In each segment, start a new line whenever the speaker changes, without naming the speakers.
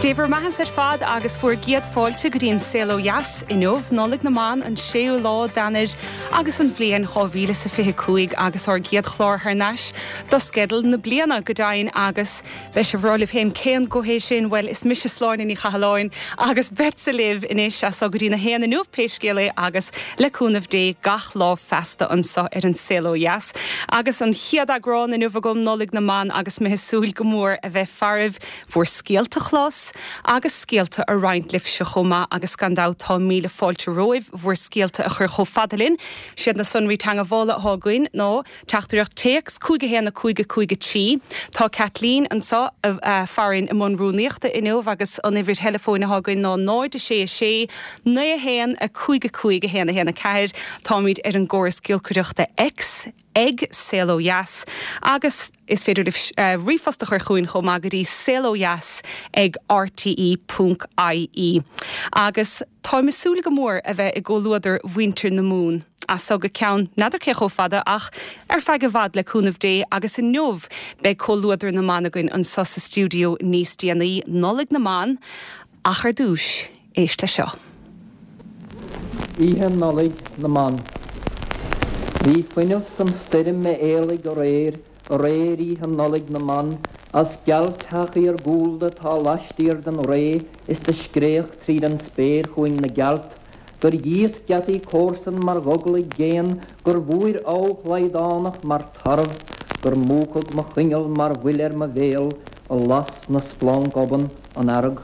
Dé bhur mbeathasa ar fad agus bhur gcéad fáilte go dtí an Saol Ó Dheas inniu, Nollaig na mBan, an séú lá d'Eanáir agus an bhliain 2025 agus ár gcéad chlár thar n-ais do sceideal na bliana, go deimhin, agus beidh sibh ag rá libh féin cén guth é sin? Bhuel, is mise Sláine Ní Chathalláin agus beadsa libh anois as so go dtí na haon inniu pé scéal é agus le cúnamh Dé gach lá feasta anso ar an Saol Ó Dheas. Agus an chéad eagrán inniu agam, Nollaig na mBan agus mé ag súil go mór a bheith faraibh bhur scéalta a chlos agus scéalta a roinnt libhse chomh maith agus gan dabht tá míle fáilte romhaibh bhur scéalta a chur chomh fada linn. Siad na sonraí teangmhála atá againn ná, Teachtaireacht téacs, 5 1 5 5 3. Tá Caitlín anseo farainn i mbun rúnaíochta inniu agus an uimhir theileafóin atá againn ná 0 6 6 9 1 5 5 1 1 4. Táimid ar an gcóras giolcaireachta X. ag Saol Ó Dheas agus is féidir libh ríomhphost a chur chugainn chomh maith go dtí saolodheas ag rte ponc ie. Agus táim ag súil go mór a bheith i gcomhluadar mhuintir na Mumhan as so go ceann n'fheadar cé chomh fada ach ar feadh i bhfad le cúnamh Dé agus inniu beidh comhluadar na mban againn anso sa stiúideo níos déanaí, Nollaig na mBan, ach ar dtúis, éist le seo.
Oíche Nollaig na mBan. Bhí fuinneamh san stoirm a éalaigh aréir, aréir Oíche Nollaig na mBan, as gealteach iargúlda atá laistiar den ré is do scréach tríd an spéir chugainn na gealt, gur dhíosc geataí comharsan mar ghoglaigh géan, gur bhúir abha shlaghdánach mar tarbh, gur múchadh mo choinneal mar bhuile ar mo bhéal a las 'na splanc obann an fhearg.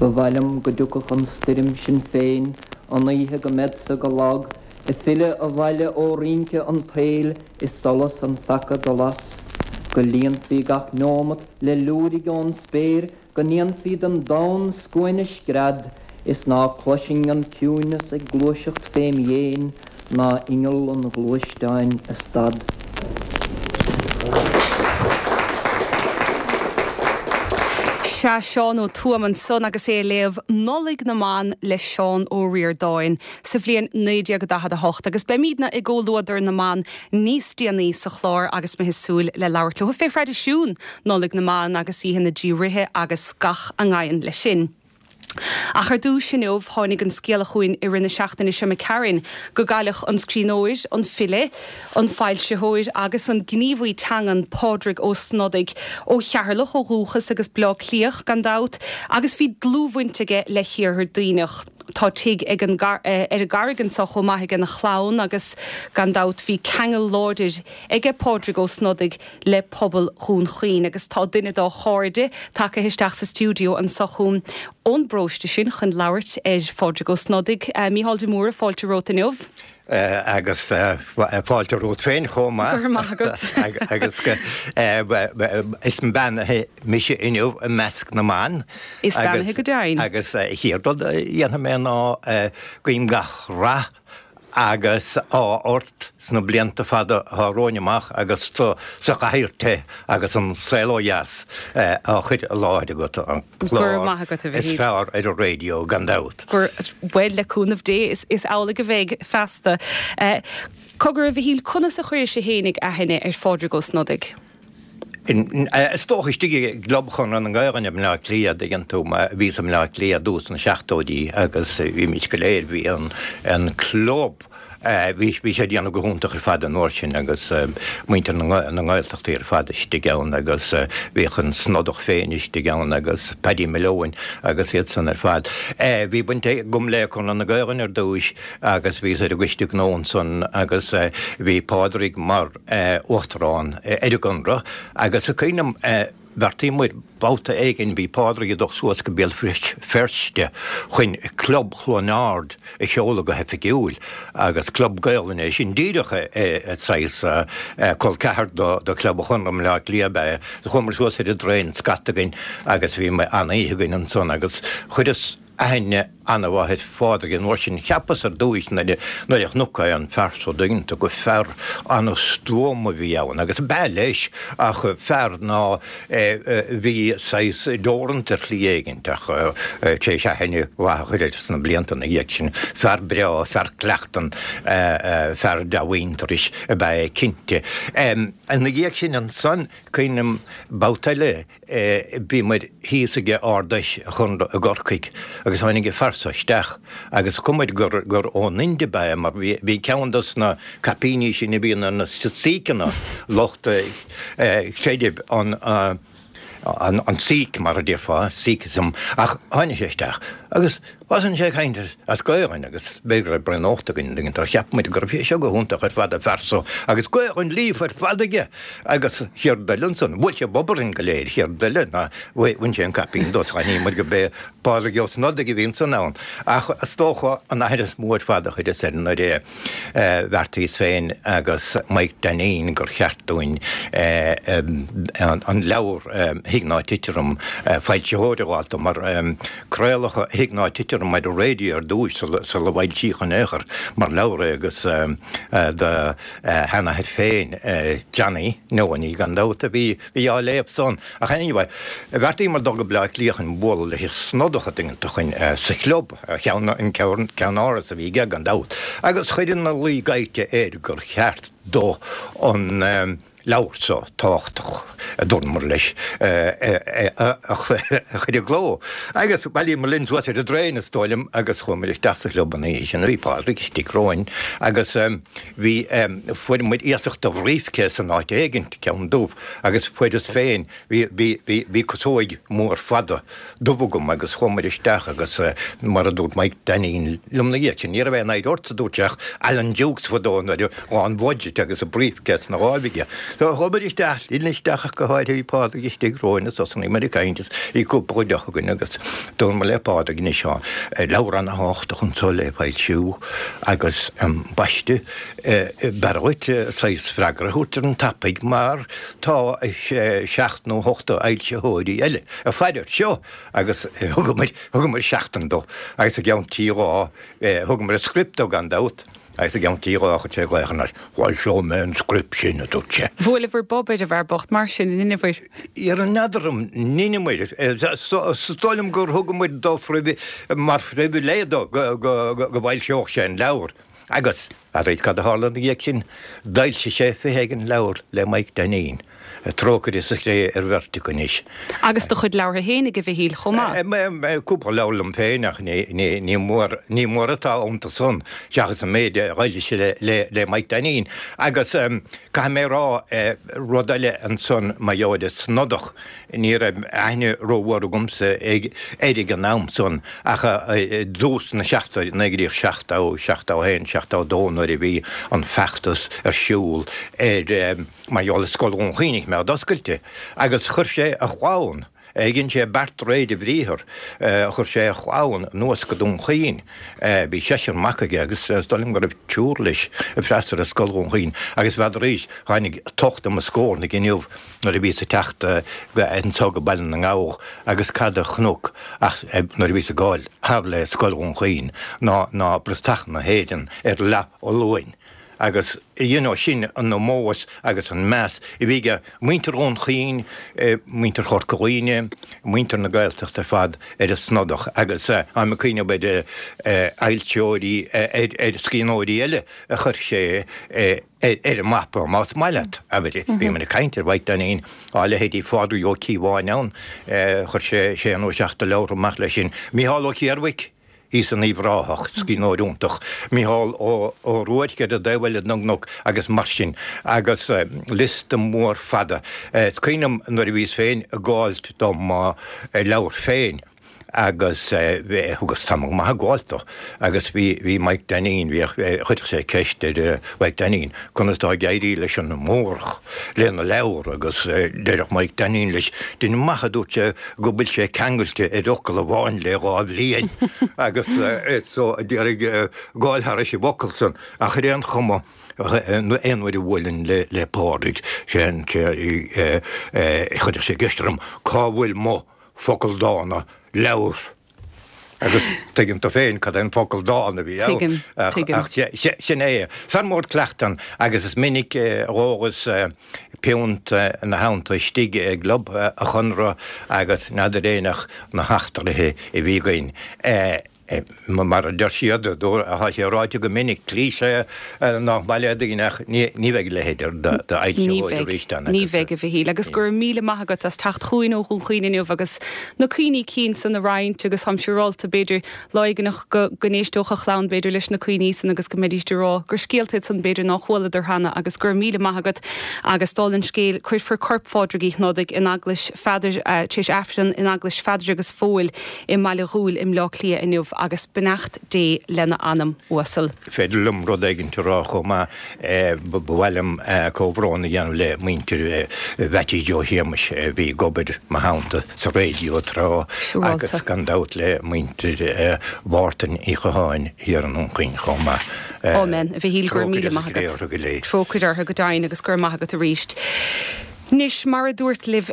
Ba mhaith liom go dtiocfadh an stoirm sin féin an oíche go mbeadsa go lag ag filleadh abhaile ó rince an tsaoil is solas an pheaca do las, go líonfaí gach neomat le liúirigh ón spéir go ndéanfaí den domhan scuaine scread is ná cloisfinn an ciúineas ag gluaiseacht fém dhéin ná inneall an ghluaisteáin ag stad.
Sea, Seán Ó Tuama ansan agus é ag léamh Nollaig na mBan le Seán Ó Ríordáin sa bhliain 1948 agus beimídne i gcomhluadar na mban níos déanaí sa chlár agus mé ag súil le labhairt leo fé thraidisiún Nollaig na mBan agus Oíche na dTrí Ríthe agus gach a ngabhann leis sin. Ach ar dtúis inniu, tháinig an scéala chugainn i rith na seachtaine seo imigh tharainn go gcailleadh an scríbhneoir, an file, an foilsitheoir agus an gníomhaí teangan Pádraig Ó Snodaigh, ó Cheatharlach ó dhúchas agus Bleá Cliathach gan dabht, agus bhí dlúthbhaint aige le hIarthar Duibhneach. Tá tigh ag an ar an gCarraig anseo chomh maith aige na chlann agus gan dabht bhí ceangal láidir aige Pádraig Ó Snodaigh le pobal Dhún Chaoin agus tá duine dá chairde tagtha isteach sa stiúideo anseo chugam ón bparóiste sin chun labhairt ar Phádraig Ó Snodaigh. Mícheál de Mórdha, fáilte romhat inniu.
Agus fáilte romhat féin chomh maith.
Go raibh maith agat.
Agus is beannaithe mise inniu i measc na mban.
Is beannaithe go deimhin.
Agus an chéad rud a dhéanfaidh mé ná guím gach rath agus ádh ort sna blianta fada atá romhainn amach agus tú sa chathaoir te agus an Saol Ó Dheas á chur i láthair agat, an
clár
is fearr ar an raidió gan dabht.
Bhuel, le cúnamh Dé, is amhlaidh a bheidh feasta. Cogar, a Mhichíl, conas a chuiris fhéinig aithne ar Phádraig Ó Snodaigh?
Is dócha istigh i gClub Chonradh na Gaelainne i mBleá Cliath, dtuigeann tú, bhíos i mBleá Cliath i dtús na seachtóidí agus bhímid go léir, bhí an club, bhí sé ag déanamh go hiontach ar fad an uair sin agus muintir na nGaeltachtaí ar fad istigh ann agus bhíodh an Snodach féin istigh ann agus Paddy Malone agus iad san ar fad. Bhí baint agam le Conradh na Gaelainne ar dtúis agus bhíos ar an gcoiste gnó ansan agus bhí Pádraig mar, Uachtarán ar an gConradh agus is cuimhin liom bheartaíomar babhta éigin, bhí Pádraig ag dul suas go Béal Feirste chun Club Chluain Ard a sheoladh go hoifigiúil agus Club Gaolainne é sin díreach saghas col ceathar do Chlub an Chonradh i mBleá Cliath ab ea é. Chuamar suas ar an dtraein scata againn agus bhí an-oíche againn ansan agus chuireas. aithne ana-mhaith ar Phádraig an uair sin. Cheapas ar dtúis nuair a chonac an fear so dtuigeann tú gur fear ana-stuama a bhí ann, agus ab ea leis, ach fear ná bhí saghas deoranta ar shlí éigint, ach tar éis aithne mhaith a chur air sna blianta ina dhiaidh sin, fear breá, fear cleachtan, fear dea-mhuintearais ab ea é cinnte. Ina dhiaidh sin ansan, cuimhním babhta eile, Bhíomar thíos ag Ard-Fheis an Chonradh i gCorcaigh agus tháinig an fear so isteach agus chonaic muid gur gur ón Ind ab ea é mar bhí bhí ceann dos na caipíní sin a bhíonn ar na Síceanna, lucht creidimh an an an Sikh mar a déarfá, Sikhism, ach tháinig sé isteach agus Thosaigh sé ag caint as Gaelainn agus b'fhéidir go raibh braon ólta againn an dtuigeann tú, cheap muid go raibh sé seo go hiontach ar fad an fear so agus Gaelainn líofa ar fad aige agus céard eile ansan, bhuail sé bob orainn go léir, céard eile ná bhain sé an caipín de, d'aithnigh muid gurb é Pádraig Ó Snodaigh a bhí ansan ann. Ach is dócha an aithne is mó ar fad a chuireas air nuair a bheartaíos féin agus Mike Dinneen gur cheart dúinn an leabhar Thig Ná Tit Orm, foilsitheoir a fháil dó mar Craoladh Thig Ná Tit Orm ar an raidió ar dtúis sula bhfoilsíodh in aon chor mar leabhar é agus do sheanathair féin, Johnny Neoiní gan dabht, a bhí á léamh san. Ach anyway, bheartaíomar dul go Bleá Cliath chun bualadh leis an Snodach an dtuigeann tú chun sa chlub, an ceannáras a bhí aige gan dabht, agus chuir ina luí gaibhte air gur cheart dó an leabhar so tábhachtach, a dúramar leis, a chur i gcló. Agus bhailíomar linn suas ar an dtraein, is dóigh liom, agus chuamar isteach sa chlub an oíche sin. Bhí Pádraig istigh romhainn agus bhí, fuair muid iasacht de bhriefcase in áit éigint, ceann dubh, agus fuaireas féin, bhí, bhí, bhí, bhí casóig mhór fada dubh agam agus chuamar isteach agus mar a dúirt Mike Dinneen liom na dhiaidh sin, ní raibh aon oidhre ort, a dúirt sé, ach Alan Dukes fadó nuair a ghabh an budget agus an briefcase ina láimh aige. So chuamar isteach, linn isteach ach go háirithe bhí Pádraig istigh romhainn agus thosnaíomar ag caint is bhí cúpla deoch againn agus dúramar le Pádraig anois tá leabhar ana-thábhachtach anso le foilsiú agus ambaiste b'fhearr dhuit saghas freagra a thabhairt ar an tapaidh mar tá seacht nó hocht d'fhoilsitheoirí eile ag faire air seo agus thugamar, thugamar seachtain dó agus i gceann trí lá, thugamar an script dó gan dabht agus i gceann trí lá chuir sé glaoch orainn, foilseoidh mé an script sin, a dúirt sé.
Bhuaileabhair bob ar an bhfear bocht mar sin, an ndeineabhair?
Ar n'fheadar an ndeineamair, is dóigh liom gur thugamar dó mar phribhléid dó go bhfoilseodh sé an leabhar. Agus, arís, cad a tharla ina dhiaidh sin? D'fhoilsigh sé 20 éigin leabhar le Mike Dinneen. Trócaire sa chré ar bheirt acu anois.
Agus do chuid leabhartha féin ag a Mhichíl chomh maith.
Cúpla leabhar liom féin ach ní mór, ní mór atá iontu san seachas an méid a d'fhoilsigh sé le Mike Dinneen. Agus caithfidh mé a rá rud eile ansan mar gheall ar an Snodach. Ní raibh aithne rómhór agamsa air ag an am san ach i dtús na seachtóidí, 1970, 71, 72 nuair a bhí an feachtas ar siúl ar mar gheall ar Scoil Dhún Chaoin a choimeád oscailte agus chuir sé a chlann, dhein sé beart de réir a bhriathar, chuir sé a chlann anuas go Dún Chaoin. Bhí seisear mac aige agus is dóigh liom go raibh triúr leis ag freastal ar Scoil Dhún Chaoin agus bheadaraís, tháinig tocht i mo scornach inniu, nuair a bhíos ag teacht anso go Baile na nGabhach agus cad a chonac ach nuair a bhíos ag gabháil thar le Scoil Dhún Chaoin ná ná bratach na hÉireann ar leath fholuain agus you know sin an ómós agus an meas a bhí ag muintir Dhún Chaoin, muintir Chorca Dhuibhne, muintir na Gaeltachta ar fad ar an Snodach agus táim ag cuimhneamh ar fhoilsitheoirí, ar scríbhneoirí eile a chuir sé ar an mapa, más maith leat. Abair, bhíomar ag caint ar Mhaidhc Dainín, tá leithéidí Phádraig Ó Cíobháin ann, chuir sé sé nó seacht de leabhartha amach leis sin. Mícheál Ó Ciarmhaic, thíos in Uíbh Ráthach, scríbhneoir iontach. Mícheál Ó Ruairc ar an dtaobh eile den gcnoc agus mar sin. Agus liosta mór fada. Is cuimhin liom nuair a bhíos féin ag gabháilt do mo leabhar féin, agus thugas tamall maith ag gabháilt dó agus bhí, bhí Mike Dinneen, bhíodh, chuireadh sé ceist ar Mhike Dinneen conas tá ag éirí leis an Mórdhach lena leabhar agus deireadh Mike Dinneen leis, dein amach a dúirt sé go bhfuil sé ceangailte ar fhocal amháin le dhá bhliain agus so d'iarraidh gabháil thairis an bhfocal san ach ar aon chuma aon uair a bhuailinn le Pádraig sé an, chuireadh sé ceist orm cá bhfuil mo focal dána, leabhar. Agus tuigeann tú féin cad é an focal dán a bhí ann.
Tuigim, tuigim.
Ach sin é. Fear mór cleachta agus is minic a dh'ólas piúnt ina theannta istigh i gClub an Chonartha agus n'fheadar éinneach na heachtraithe a bhí againn. Mar a deir siad, tá sé ráite go minic, cliché nach maith le daoine ach ní bheidh a leithéid
d'fhoilsitheoir arís ann. Ní bheidh, a Mhichíl, agus go raibh míle maith agat as teacht chugainn ó Dhún Chaoin inniu agus na cuimhní cinn san a roinnt agus táim siúrálta, b'fhéidir, lá éigineach go n-éisteodh a chlann, b'fhéidir, leis na cuimhní san agus go mbeidíst ag rá gur scéalta iad san, b'fhéidir, nár chualadar cheana agus go raibh míle maith agat agus dála an scéil, cuirfear corp Phádraig Uí Shnodaigh in Eaglais Pheadair, tar éis Aifreann in Eaglais Pheadair agus Phóil i mBaile Dhúill i mBleá Cliath inniu agus beannacht Dé lena anam uasal.
Féidir liom rud éigint a rá chomh maith. Ba mhaith liom comhbhrón a dhéanamh le muintir Mheaití Joe Shéamais a bhí ag obair mo theannta sa raidió tráth agus gan dabht le muintir Mhártain Uí Chatháin thiar i nDún Chaoin chomh maith.
Amen, a Mhichíl, go raibh míle maith agat. Trócaire orthu go deimhin agus go raibh maith agat arís. Anois, mar a dúrt libh,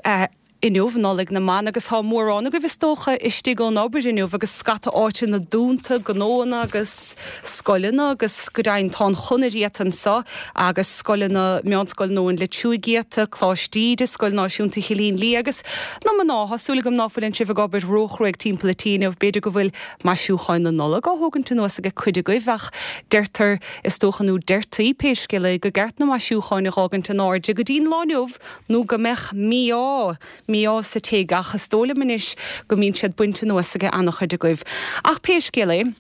Inniu Nollaig na mBan agus tá mórán agaibh is dócha istigh ón obair inniu agus scata áiteanna dúnta, gnóanna agus scoileanna agus go deimhin tá an chonair iata anseo agus scoileanna, Meánscoil Nóin Leitriúigh iata, Coláiste Íde, Scoil Náisiúnta Chillín Liath agus na mná, tá súil agam ná fuileann sibh ag obair róchruaidh timpeall an tí inniu, b'fhéidir go bhfuil maisiúcháin na Nollag á thógaint anuas ag cuid agaibh ach deirtear is dócha nó deirtí pé scéal é go gceart na maisiúcháin a dh'fhágaint in airde go dtí'n lá inniu nó go mbeadh mí-ádh, mí-ádh sa tigh, ach is dóigh liom anois go mbíonn siad bainte anuas ag an-chuid agaibh. Ach pé scéal é,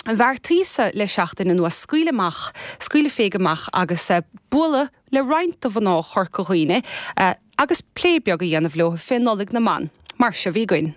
bheartaíos-sa le seachtain anuas scaoileadh amach, scaoileadh féig amach agus bualadh le roinnt de mhná Chorca Dhuibhne agus plé beag a dhéanamh leo fé Nollaig na mBan. Mar seo bhí againn.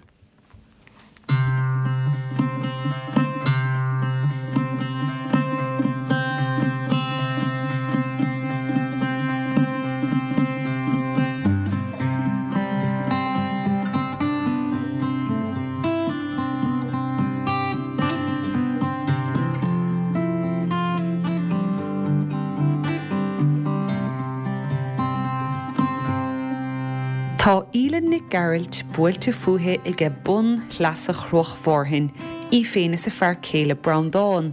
Tá Aoileann Nic Gearailt buailte fúithi aige bun shleasa Chruach Mhárthain, í féin is a fear céile Breandán.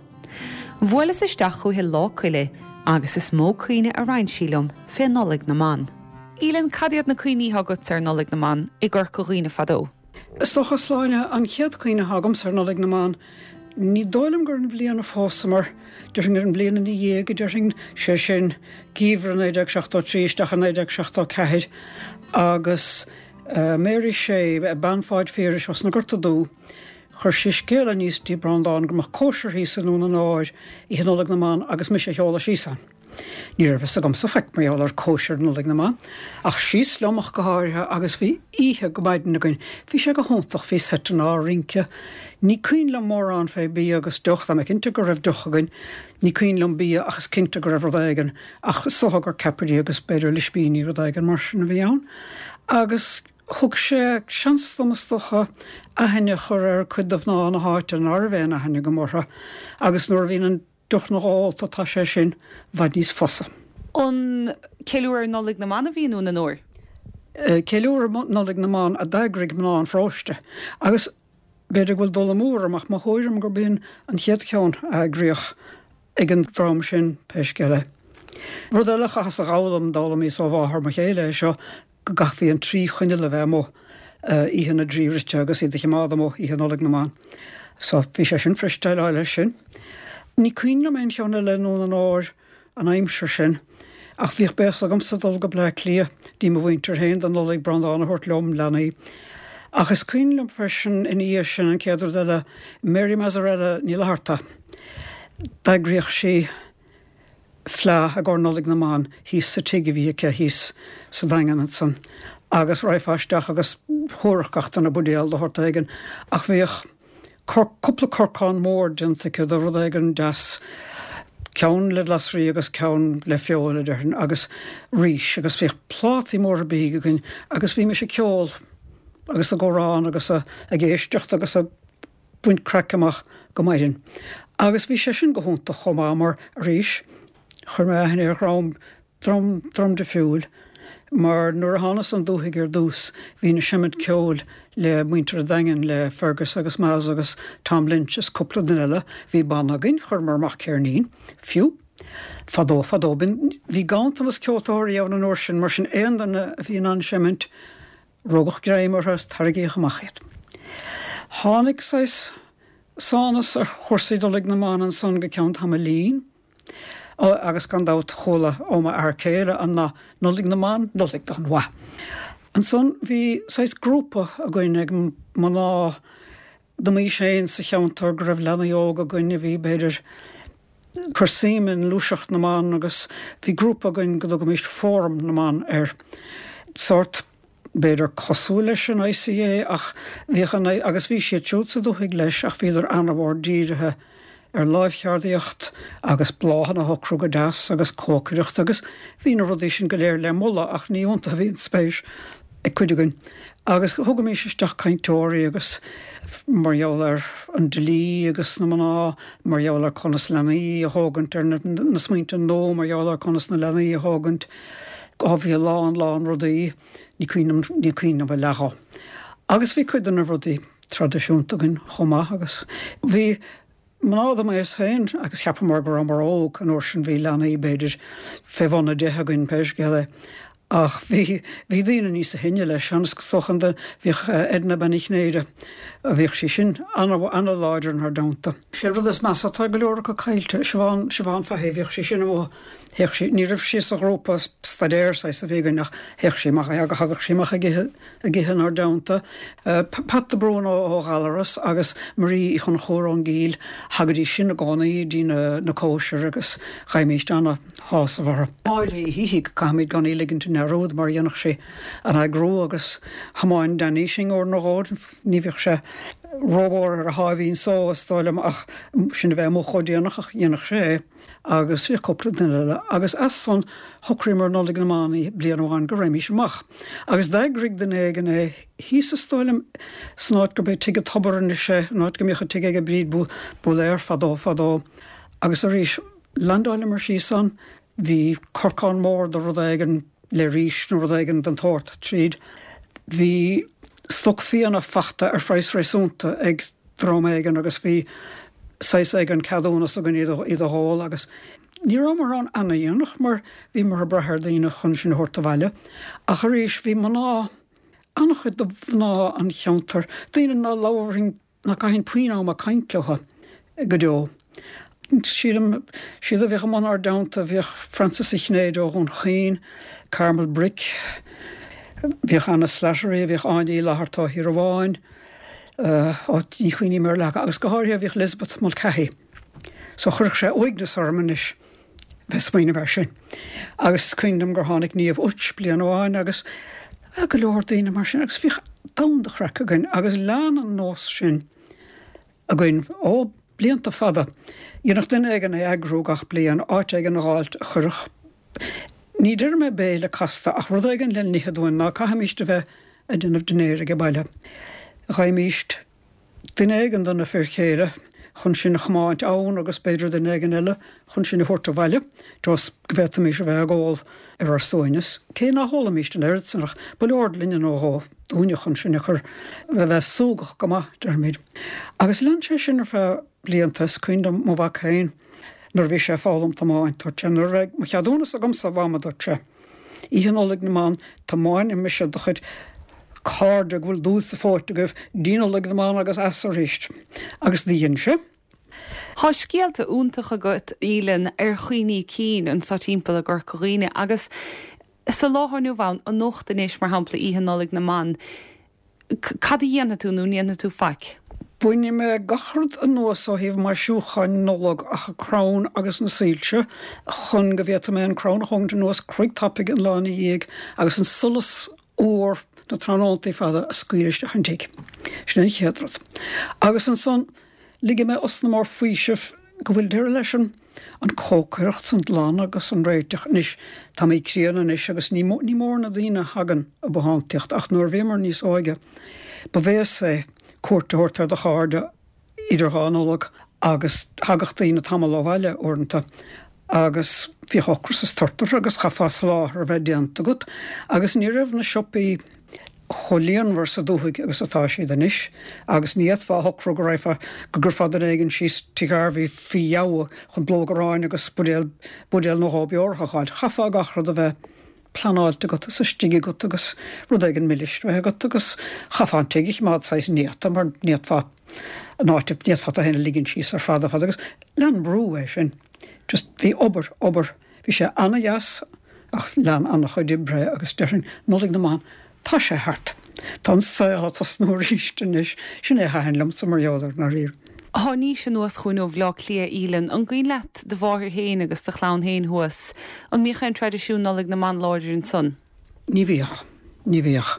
Bhuaileas isteach chúithi Lá Coille agus is mó cuimhne a roinn sí liom fé Nollaig na mBan. Aoileann, cad iad na cuimhní atá agatsa ar Nollaig na mBan i gCorca Dhuibhne fadó?
Is dócha, a Shláine, an chéad chuimhne atá agamsa ar Nollaig na mBan, ní dóigh liom gur an bhliain a phósamar, déarfainn gur an bhliain ina dhiaidh, déarfainn, sé sin, geimhreadh 1973 isteach i 1974, agus Mary Shea, bean Pháid Phiarais os na Gorta Dubh, chuir sí scéala aníos dtí Breandán go mbeadh cóisir thíos i nDún an Óir oíche Nollaig na mBan agus mise a sheoladh síos ann. Ní raibh fhios agamsa faic mar gheall ar cóisir Nollaig na mBan, ach síos liom ach go háirithe agus bhí oíche go maidin againn. Bhí sé go hiontach, bhí seiteanna á rince. Ní cuimhin liom mórán fé bia agus deoch, tá mé cinnte go raibh deoch againn. Ní cuimhin liom bia ach is cinnte go raibh rud éigin, ach is dócha gur ceapairí agus b'fhéidir ispíní, rud éigin mar sin a bhí ann. Agus thug sé seans dom is dócha aithne a chur ar cuid de mhná na háite ná raibh aon aithne agam orthu agus nuair a bhíonn an deoch ólta tá sé sin i bhfad níos fusa.
An ceiliúradh ar Nollaig na mBan a bhí i nDún an Óir?
Ceiliúradh Nollaig na mBan a d'eagraigh mná an pharóiste agus b'fhéidir go bhfuil dul amú orm ach mo thuairim gurb in an chéad cheann a eagraíodh ag an dream sin, pé scéal é. Rud eile a chaitheas a dh'fhoghlaim, d'fhoghlaimíos ó mháthair mo chéile é seo, go gcaithfí an trí choinneal a bheith amuigh oíche na dTrí Rite agus iad a chimeád amuigh oíche Nollaig na mBan. So bhí sé sin fuirist déileáil leis sin. Ní cuimhin liom aon cheann eile i nDún an Óir an aimsir sin ach bhíodh béas agamsa dul go Bleá Cliath dtí mo mhuintir féin don Nollaig, Breandán a thabhairt liom, leanaí. Ach is cuimhin liom freisin ina dhiaidh sin an chéad rud eile, Mary Mazzarella Ní Fhlatharta, d'eagraíodh sí, fleá i gcomhair Nollaig na mBan thíos sa tigh a bhí aici thíos sa Daingean ansan agus raghfá isteach agus thabharfadh gach duine buidéal de shórt éigin ach bhíodh cúpla corcán mór déanta aici de rud éigin deas, ceann le glasraí agus ceann le feoil a déarfainn agus rís agus bhíodh plátaí móra bídh againn agus bhímis ag ceol agus ag amhrán agus ag éisteacht agus ag baint craic amach go maidin. Agus bhí sé sin go hiontach chomh maith mar, arís, chuir mé aithne ar dhream, dream, dream difriúil. Mar nuair a thánas 'on dúthaigh ar dtús bhínn ag seimint ceoil le muintir an Daingin, le Fergus agus Maz agus Tom Lynch is cúpla duine eile. Bhí banna againn, chuireamar amach ceirnín, fiú. Fadó, fadó. Bhí ganntanas ceoltóirí ann an uair sin, mar sin aon duine a bhí in ann seimint, rugadh greim orthu is tarraingíodh amach iad. Tháinig saghas sánas ar chúrsaí Nollaig na mBan ansan go ceann tamaillín. Agus gan dabht chuala ó m'fhear céile an nath Nollaig na mBan, Nollaig gan mhaith. Ansan bhí saghas grúpa againn ag mná de m'aois féin sa cheantar go raibh leanaí óga againn a bhí b'fhéidir cur suim i ngluaiseacht na mban agus bhí grúpa againn go dtugaimis Fóram na mBan air. Sórt b'fhéidir cosúil leis an ICA ach bhíodh an, agus bhí siad siúd sa dúthaigh leis ach bhíodar ana-mhór dírithe ar láimhcheardaíocht agus bláthanna a shocrú go deas agus cócaireacht agus bhí na rudaí sin go léir le moladh ach ní iontu a bhí an spéis ag cuid againn. Agus thugaimis isteach cainteoirí agus mar gheall ar an dlí agus na mná, mar gheall ar conas leanaí a thógaint ar na smaointe nua, mar gheall ar conas na leanaí a thógaint. Á bhí a lán, lán rudaí, ní cuimhin liom, ní cuimhin liom a leath dhó. Agus bhí cuid de na rudaí traidisiúnta againn chomh maith agus bhí mná de m'aos féin agus cheapamar go rabhamar óg an uair sin, bhí leanaí b'fhéidir fé bhun 10 againn pé scéal é. Ach bhí, bhí daoine níosa shine leis, is dócha an, bhíodh Edna Bean Uí Chinnéide, bhíodh sí sin ana-láidir inár dteannta. Sé an rud is measa, tá go leor acu caillte, Siobhán, Siobhán Fahy, bhíodh sí sin amuigh Théadh sí, ní raibh sí sa ghrúpa staidéir saghas a bhí againn ach théadh sí amach, thagadh sí amach ag ithe, ag ithe inár dteannta. Pat de Brún ó Ghallaras agus Marie Uí Chonchúir ón gCill, thagaidís sin i gcónaí dtí na, na cóisir agus gheibhimíst ana-shásamh orthu. Máire Uí Shíthigh, caithfimid gan í ligint i ndearúd mar dhéanadh sí an eagrú agus thiomáin Danny sinn uair nó dhó, ní bhíodh sé rómhór ar a sháimhín só is dóigh liom ach sinn a bheith amuigh chomh déanach ach dhéanadh sé é. agus bhíodh cúpla duine eile, agus as san shocraíomar Nollaig na mBan bliain amháin go raghaimís amach. Agus d'eagraigh duine éigin é thíos is dóigh liom san áit gurb é Tigh an Tobair anois é, an áit go mbíodh an tigh ag Bríd Búlaer fadó fadó. Agus arís, landáileamar síos ann, bhí corcán mór de rud éigin le rís nó rud éigin den tsórt tríd. Bhí stoc fíona fachta ar phraghas réasúnta ag dream éigin agus bhí saghas éigin ceadúnas againn iad a dh'ól agus ní rabhamar ann ana-dhéanach mar bhíomar ag brath ar daoine chun sinn a thabhairt abhaile. Ach arís bhí mná, an-chuid de mhná an cheantair, daoine ná labharfainn, ná caithfinn puinn ama ag caint leo go deo. Sílim, siad a bhíodh amuigh inár dteannta, bhíodh Frances Uí Chinnéide ó Dhún Chaoin, Carmel Brick, bhíodh Anna Slattery, bhíodh Áine Uí Fhlatharta ó Thír Amháin, ó ní chuimhním ar leath agus go háirithe bhíodh Elizabeth Mulcahy. So chuirfeadh sé uaigneas orm anois bheith smaoineamh air sin. Agus is cuimhin liom gur tháinig Niamh Utz bliain amháin agus go leor daoine mar sin agus bhíodh domhan de chraic againn agus lean an nós sin againn ó blianta fada. Dhéanfadh duine éigin é eagrú gach bliain, áit éigin a dh'fháilt a chuirfeadh, ní déarfaidh mé béile casta, ach rud éigin le n-ithe dúinn, ná caithfimíst a bheith ag déanamh dinnéir age baile. Gheibhimíst duine éigin de na fir chéile chun sinn a chomáint ann agus b'fhéidir duine éigin eile chun sinn a thabhairt abhaile, just go bhféadfaimís a bheith ag ól ar ár suaimhneas, cé nach ólaimíst an oiread san ach ba leor gloine nó dhó dúinne chun sinn a chur a bheith súgach go maith, déarfaimid. Agus lean sé sin ar feadh blianta. Is cuimhin liom mo mhac féin nuair a bhí sé ag foghlaim tiomáint, dúirt sé, nuair a bheidh mo cheadúnas agamsa, a Mham, a dúirt sé, Oíche Nollaig na mBan, tiomáinfidh mise do chuid cairde go bhfuil dúil sa phóit agaibh dtí Nollaig na mBan agus as arís. Agus do dhein sé.
Tá scéalta iontacha agat, Aoileann, ar chuimhní cinn anseo timpeall i gCorca Dhuibhne agus sa lá atá inniu ann, anocht anois, mar shampla, Oíche Nollaig na mBan, cad a dhéanfaidh tú nó an ndéanfaidh tú faic?
Bainfidh mé gach rud anuas ó thaobh maisiúcháin Nollag ach an crann agus na soilse chun go bhféadfaidh mé an crann a thógaint anuas craic tapaidh an lá ina dhiaidh agus an solas úr na tráthnóntaí fada a scaoileadh isteach an tigh. Sin an chéad rud. Agus ansan ligfidh mé osna mór faoisimh go bhfuil deireadh leis an an cócaireacht 's an glanadh agus an réiteach. Anois, táimid críonna anois agus ní ní mór na daoine a thagann i bothántaíocht ach nuair a bhíomar níos óige ba bhéas é cuairt a thabhairt ar do chairde idir dhá Nollag agus thagadh daoine tamall ó bhaile uaireanta. Agus bhíodh ocras is tart orthu agus chaithfeá soláthar a bheith déanta agat agus ní raibh na siopaí chomh líonmhar sa dúthaigh agus atá siad anois agus ní fhéadfá a shocrú go raghfá, go gcuirfeá duine éigin síos Tigh Harvey faoi dheabhadh chun blóg aráin agus buidéal, buidéal nó dhó beorach a dh'fháilt. Chaithfeá gach rud a bheith pleanáilte agat is istigh agat agus rud éigin milis a bheith agat agus chaithfeá an tigh a choimeád saghas néata mar ní fhéadfá an áit, ní fhéadfá tú féin a ligean síos ar fad ar fad agus lean brú é sin. Just bhí obair, obair, bhí sé ana-dheas ach lean ana-chuid oibre é agus déarfainn Nollaig na mBan, tá sé thart. Tá an saol ag tosnú arís anois. Sin é a thaitin liomsa mar gheall air, ndáiríre.
Tháinís anuas chugainn ó Bhleá Cliath, Aoileann. An gcuimhin leat do mháthair féin agus do chlann féin thuas? An mbíodh aon traidisiún Nollaig na mBan láidir ansan?
Ní bhíodh. Ní bhíodh.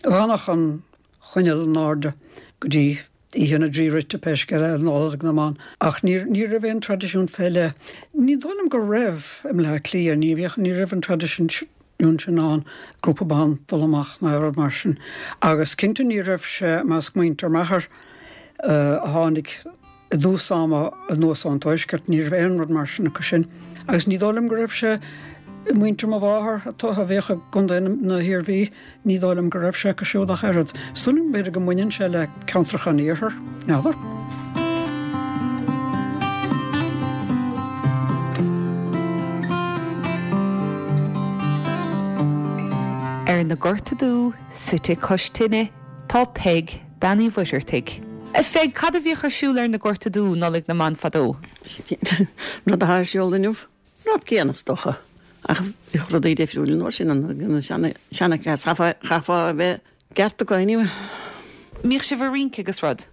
D'fhanadh an choinneal in airde go dtí Oíche na dTrí Rite, pé scéal é, Nollaig na mBan. Ach ní, ní raibh aon traidisiún fé leith. Ní dóigh liom go raibh i mBleá Cliath, ní bhíodh, ní raibh an traidisiún sin ann, grúpa ban dul amach ná rud mar sin. Agus cinnte ní raibh sé i measc muintir m'athar a tháinig i dtús ama anuas ón tuaisceart, ní raibh aon rud mar sin acu sin. Agus ní dóigh liom go raibh sé i muintir mo mháthar a bhíodh i gContae na hIarmhí. Ní dóigh liom go raibh sé acu siúd ach oiread. Is dóigh liom b'fhéidir go mbaineann sé le ceantracha an iarthair, n'fheadar.
Ar na Gorta Dubha, suite cois tine, tá Peig, Bean Uí Mhuircheartaigh. A Pheig, cad a bhíodh ar siúl ar na Gorta Dubha, Nollaig na mBan fadó?
Rud atá ar siúl inniu. Rud céanna is dócha, ach bhíodh rudaí difriúil an uair sin, an seanchleas, chaithfeá a bheith ceart acu anyway.
Mbíodh sibh ag rince agus rud?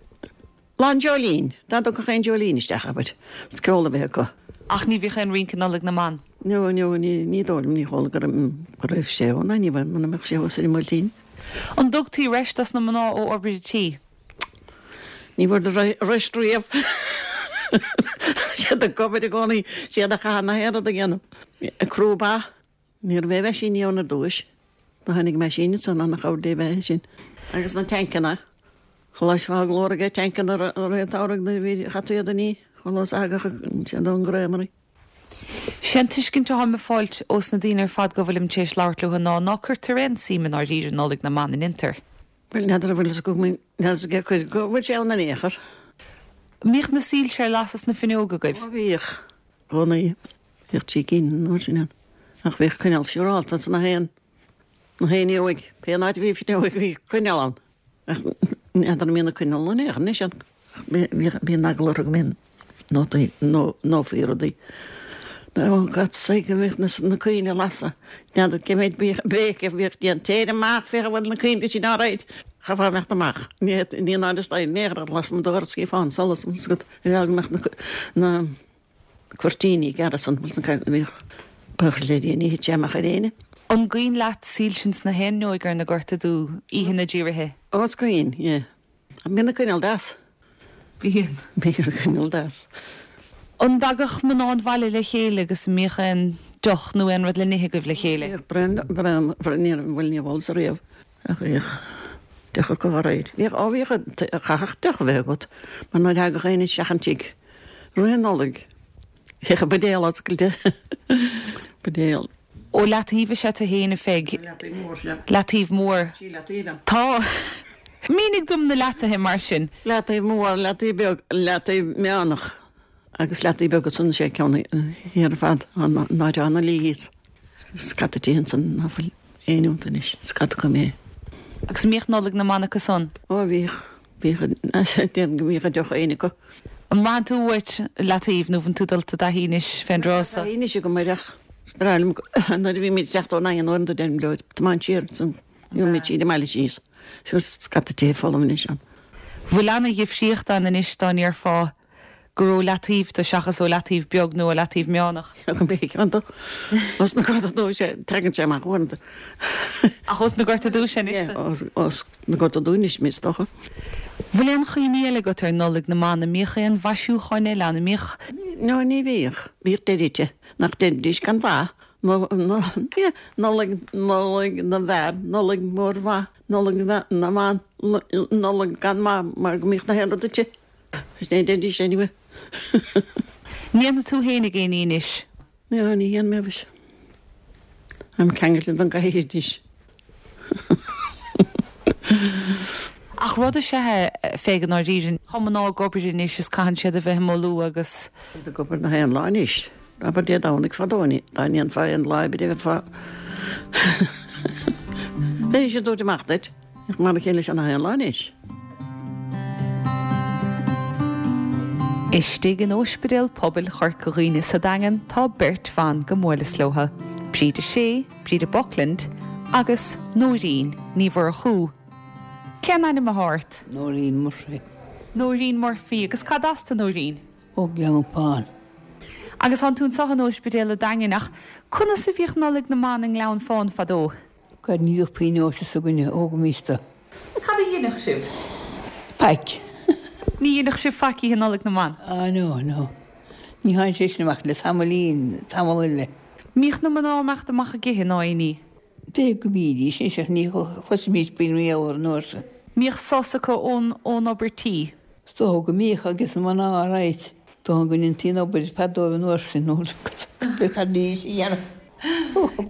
Lá an Dreoilín, dá dtiocfadh aon dreoilín isteach, abair, is ceol a bheith acu.
Ach ní bhíodh aon rince Nollaig na mBan?
No, no, ní dóigh liom, ní chuala go raibh sé ann, anyway, muna mbeadh sé thuas ar an mBuailtín.
An dtugtaí rest dos na mná ó obair an tí?
Ní bhfuair rest riamh. Siad ag obair i gcónaí, siad a chaitheann na haon rud a dhéanamh. Ag crú ba, ní raibh aon mheaisíní ann ar dtúis. Do tháinig meaisín ansan, ana-chabhair Dé bheith é sin. Agus na tancanna, chloisfeá glór aige tancanna i rith an tsamhraidh nuair a bhí chaití iad a ní, chuala thagadh siad ón gcreamery.
Sé an tuiscint atáim ag fáilt ós na daoine ar fad go bhfuilim tar éis labhairt leo ná ná cuirtear aon suim i ndáiríre i Nollaig na mBan, an ndéantar?
Bhuel, n'fheadar an bhfuil fhios agam, n'fheadar cé cuir go bhfuil sé ann in aon chor.
Mbíodh na soilse ar lasadh sna fuinneoga agaibh?
Ó bhíodh, i gcónaí. Bhíodh trí cinn an uair sin ann. Ach bhíodh coinneal siúrálta ins na haon, na haon fhuinneoig. Pé áit a bhí fuinneoig bhí coinneal ann. Ach n'fheadar an mbíonn na coinneal in aon chor anois ann. Bíonn eagla orthu go mbíonn nótaí, ndófaí rudaí. Oh God's sake, go mbíodh na coinnle ag lasadh. N'fheadar cé mhéid béic a bhíodh déanta. Téir amach, féach an bhfuil na coinnle sin all right. Chaithfeá imeacht amach. Ní in áit is in aon chor lasmuigh do dhoras chífeá an solas bhfuil fhios agat. Ar eagla go mbeadh na cuirtíní gearra san, bhfuil fhios agat, bhíodh buíochas le Dia ní thit sé amach ar éinne.
An gcuimhin leat soilse ins na haon fhuinneoig ar na Gorta Dubha, oíche na dTrí Ríthe?
Ó is cuimhin, yeah. Bíonn na coinneal deas.
Bíonn.
Bíonn na coinneal deas.
An dtagadh mná an bhaile le chéile agus an mbíodh aon deoch nó aon rud le n-ithe agaibh le chéile?
Bhíodh braon, braon, ní raibh, bhuel níor ólasa riamh ach bhíodh deoch acu dá réir. Bhíodh, ó bhíodh, chaithfeadh deoch a bheith agat mar nuair a thagadh éinne isteach an tigh roimh an Nollaig bhíodh an buidéal oscailte. Buidéal.
Ó Leataobh is ea tú fhéin, a Pheig.
Ó Leataobh Mór, sea.
Leataobh Mór.
Sí Leataobh ann.
Tá. Mínigh dom na leataithe mar sin.
Leataobh Mór, Leataobh Beag, Leataobh Meánach agus Leataobh Beag ansan sé ceann thiar ar fad, an áit atá na Leahy's. Scata tithe ansan ná fuil éinne iontu anois, scata acu imithe.
Agus an mbíodh Nollaig na mBan acu san?
Ó bhíodh. Bhíodh, déarfainn go mbíodh deoch éigin acu.
An mbraitheann tú uait Leataobh nó bhfuil tú dulta i dtaithí anois fén dtráth
so? Tá taithí anois agam air ach is breá liom nuair a bhímid ag teacht ón Daingean uaireanta deirim leo tiomáint siar ansan gheobhaimid tríd an mbaile síos. Sure scata tithe folamh anois ann.
Bhfuil ana-dhifríocht ann anois dá ndéarfá gur ó Leataobh tú seachas ó Leataobh Beag nó ó Leataobh Meánach.
Go mbeidh ceann do os na Gorta Dubha sé, tagann sé amach uaireanta.
Ach os na Gorta Dubha sé anois
tú? Os na Gorta Dubha anois mé is dócha.
Bhfuil aon chuimhní eile agat ar Nollaig na mBan? An mbíodh aon mhaisiúcháin eile ann? An mbíodh.
No, ní bhíodh. Bhíodh deiridh nach ndeiridís gan mhaith, nó, nó, Nollaig, Nollaig na bhfear, Nollaig mhór mhaith, Nollaig na mban, Nollaig gan mhaith mar go mbíodh na haon rud inti. Is ní deiridís anyway.
Ndéanfaidh tú fhéinig aon ní anois?
Ní, ní dhéanfaidh mé mhuise. Táim ceangailte don gcathaoir anois.
Ach rud is ea é, fé go ndáiríre. Tá mná ag obair anois is caitheann siad a bheith ag ullmhú agus.
Iad ag obair nach aon lá anois. Abair Dé Domhnaigh fadó dá ndéanfá aon lá oibre bheifeá. Bheidís ag tabhairt amach duit. Mar a chéile seo nach aon lá anois.
Istigh in Ospidéal Pobail Chorca Dhuibhne sa Daingean tá beirt bhan go mbuaileas leotha, Bríde Shea, Bríde Buckland agus Nóirín Ní Mhurchú. Cén ainm athá ort?
Nóirín Murphy.
Nóirín Murphy. Agus cad as tú Nóirín?
Ó Gleann Fáin.
Agus tánn tú anseo in Ospidéal a' Daingin ach conas a bhíodh Nollaig na mBan i nGleann Fáin fadó?
Cad ní bhíodh puinn eolais againne ó go míosta.
Is cad a dheineadh sibh?
Faic.
Ní dheineadh sibh faic oíche Nollaig na mBan?
Ah no, no. Ní tháinig sé sin amach le tamaillín, tamall eile.
Mbíodh na mná ag imeacht amach ag ithe ná aon ní?
B'fhéidir go mbídís, anois ach ní chloisimís faoin riamh an uair sin.
Mbíodh sos acu ón, ón obair tí?
Is dócha go mbíodh agus na mná alright. Dóigh go ndéantaí an obair ar fad dóibh an uair sin nó cad a bhí a dhéanamh.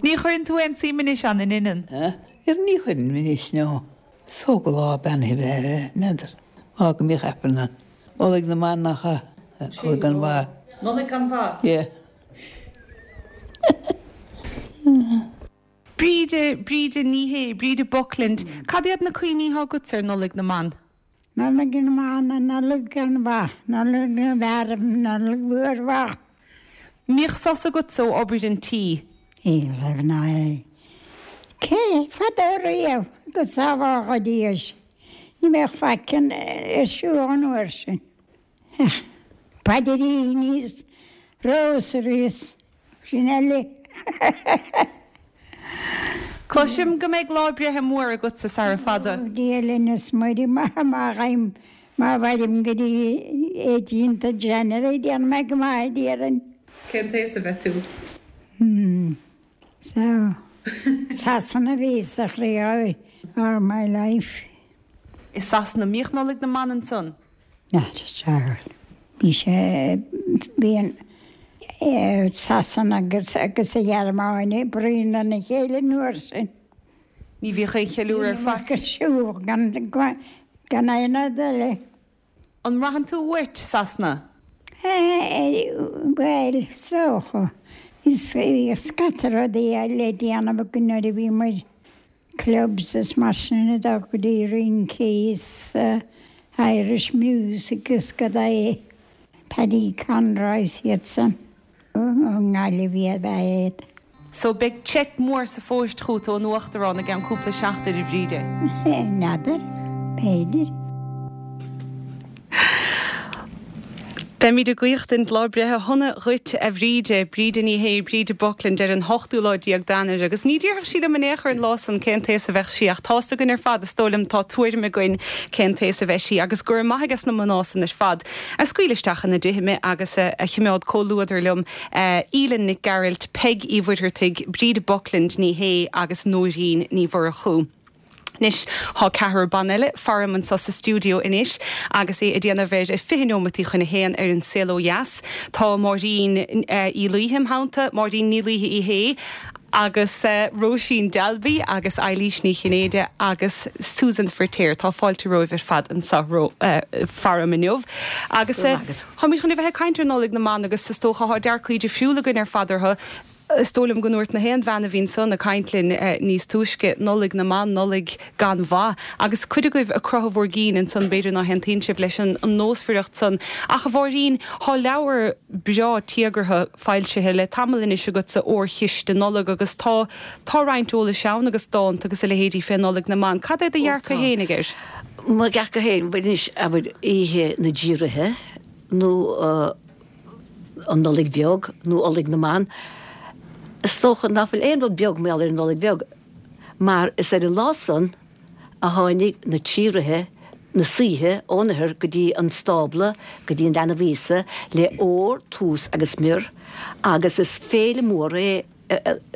Ní chuireann tú aon suim anois ann, in ionann?
Ar ní chuireann anois, no. Is dócha lá beannaithe a bheith air, n'fheadar. Lá go mbíodh Aifreann ann. Nollaig na mBan nach ea? Nollaig gan mhaith.
Nollaig gan mhaith?
Yeah.
Bríde, Bríde Ní Shé, Bríde Buckland, cad iad na cuimhní atá agatsa ar Nollaig na mBan?
Nollaig na mBan, an Nollaig gan mhaith, Nollaig na bhfear, Nollaig mhór mhaith.
Mbíodh sos agatsa ó obair an tí?
Ní raibh ná é. Cé fadó riamh go sábhála Dia sinn, ní bheadh faic ar siúl an uair sin. Ach paidríní is rósairí is sin eile.
Cloisim go mbeidh lá breithe mór agatsa sara fada.
Dia linn is Muire má ghaim má mhairim go dtí eighteenth of January déanfaidh mé go maith déarfainn.
Cén t-aos a bheidh tú?
Hmm. So. Sasana a bhíos a chroí all my life.
I Sasana, mbíodh Nollaig na mBan ansan?
Sea, bhí sé, bhí an Sasana agus agus an Ghearmáin ag bruíon lena chéile an uair sin.
Ní bhíodh aon cheiliúradh ar faic.
Ar siúl gan, gan aon rud eile.
An mbraitheann tú uait Sasana?
Bhuel, is dócha. Bhí scata rudaí le déanamh againn nuair a bhí muid clubs is mar sin ag dul go dtí rincí is Irish music is cad é Paddy Conroy is iad san ó nGaillimh iad ba ea iad.
So beidh cheque mór sa phost chugat ón Uachtarán i gceann cúpla seachtain, a Bhríde.
N'fheadar, b'fhéidir.
Beimid ag guíochtaint lá breithe shona dhuit, a Bhríde, Bríde Ní Shé, Bríde Buckland, ar an hochtú lá déag d'Eanáir. Agus ní déarfadh sí liom in aon chor an lá san cén t-aos a bheadh sí, ach tá's againn ar fad, is dóigh liom, tá tuairim againn cén t-aos a bheidh sí, agus go raibh maith ages na mná san ar fad a scaoil isteach ina dtithe mé agus a chimeád comhluadar liom, Aoileann Nic Gearailt, Peig Uí Mhuircheartaigh, Bríde Buckland Ní Shé agus Nóirín Ní Mhurchú. Anois, thá ceathrar ban eile faram anso sa stiúideo anois agus é ag déanamh ar 20 neomataí chun a haon ar An Saol Ó Dheas. Tá Máirín Uí Laoithe im theannta, Máirín Ní Laoithe Uí Shé, agus Róisín Dalby agus Eilís Ní Chinnéide agus Susan Firtéar. Tá fáilte romhaibh ar fad anso faram inniu. Agus táimid chun a bheith ag caint ar Nollaig na mBan agus is dócha thá dearcaí difriúla againn ar fad orthu. Is dóigh liom go ndúirt na haon bhean a bhí ansan ag caint linn níos túisce, Nollaig na mBan, Nollaig gan mhaith. Agus cuid agaibh ag croitheadh bhur gcinn ansan, b'fhéidir ná haontaíonn sibh leis an nósmhaireacht san. Ach, a Mháirín, thá leabhar breá téagartha foilsithe le tamall anois agatsa, Órchiste Nollag, agus tá, tá roinnt eolais ann agus dánta agus a leithéidí fé Nollaig na mBan. Cad é do dhearcadh fhéinig air?
Mo dhearcadh féin, bhuel anois, abair, Oíche na dTrí Ríthe nó, an Nollaig Bheag nó Nollaig na mBan. Is dócha ná fuil aon rud beag mar gheall ar an Nollaig Bheag, mar is ar an lá san a tháinig na trí ríthe, na saoithe, ón oirthear go dtí an stábla, go dtí an leanbh Íosa, le ór, tús agus miorr, agus is féile mór é.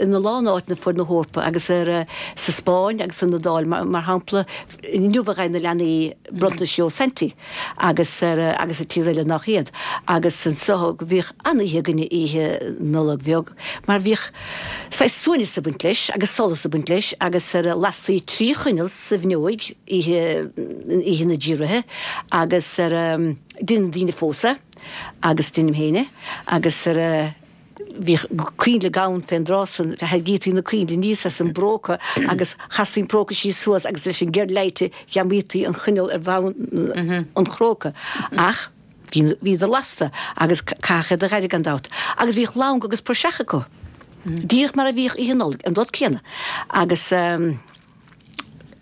ina lán áiteanna fuaid na hEorpa agus ar sa Spáinn agus san Iodáil mar shampla inniu a gheibheann na leanaí bronntanais ó Santy agus ar agus i tír eile nach iad agus anso go bhíodh an-oíche againne oíche Nollag Bheag mar bhíodh saghas suaimhneas ag baint leis agus solas ag baint leis agus ar lastaí trí choinneal sa bhfuinneoig oíche oíche na dTrí Ríthe agus ar deineann daoine fós é agus deinim féin é agus ar Bhíodh coinnle gann fén dtráth san, tharraingítí na coinnle aníos as an bpróca agus chastaí an próca síos suas agus leis an gceird leighte ghreamaítí an choinneal ar bhonn an chróca. Ach bhí, bhíodar lasta agus caithfeadh iad a dh'aire gan dabht. Agus bhíodh lanc agus praiseach acu. Díreach mar a bhíodh Oíche Nollag, an rud céanna. Agus.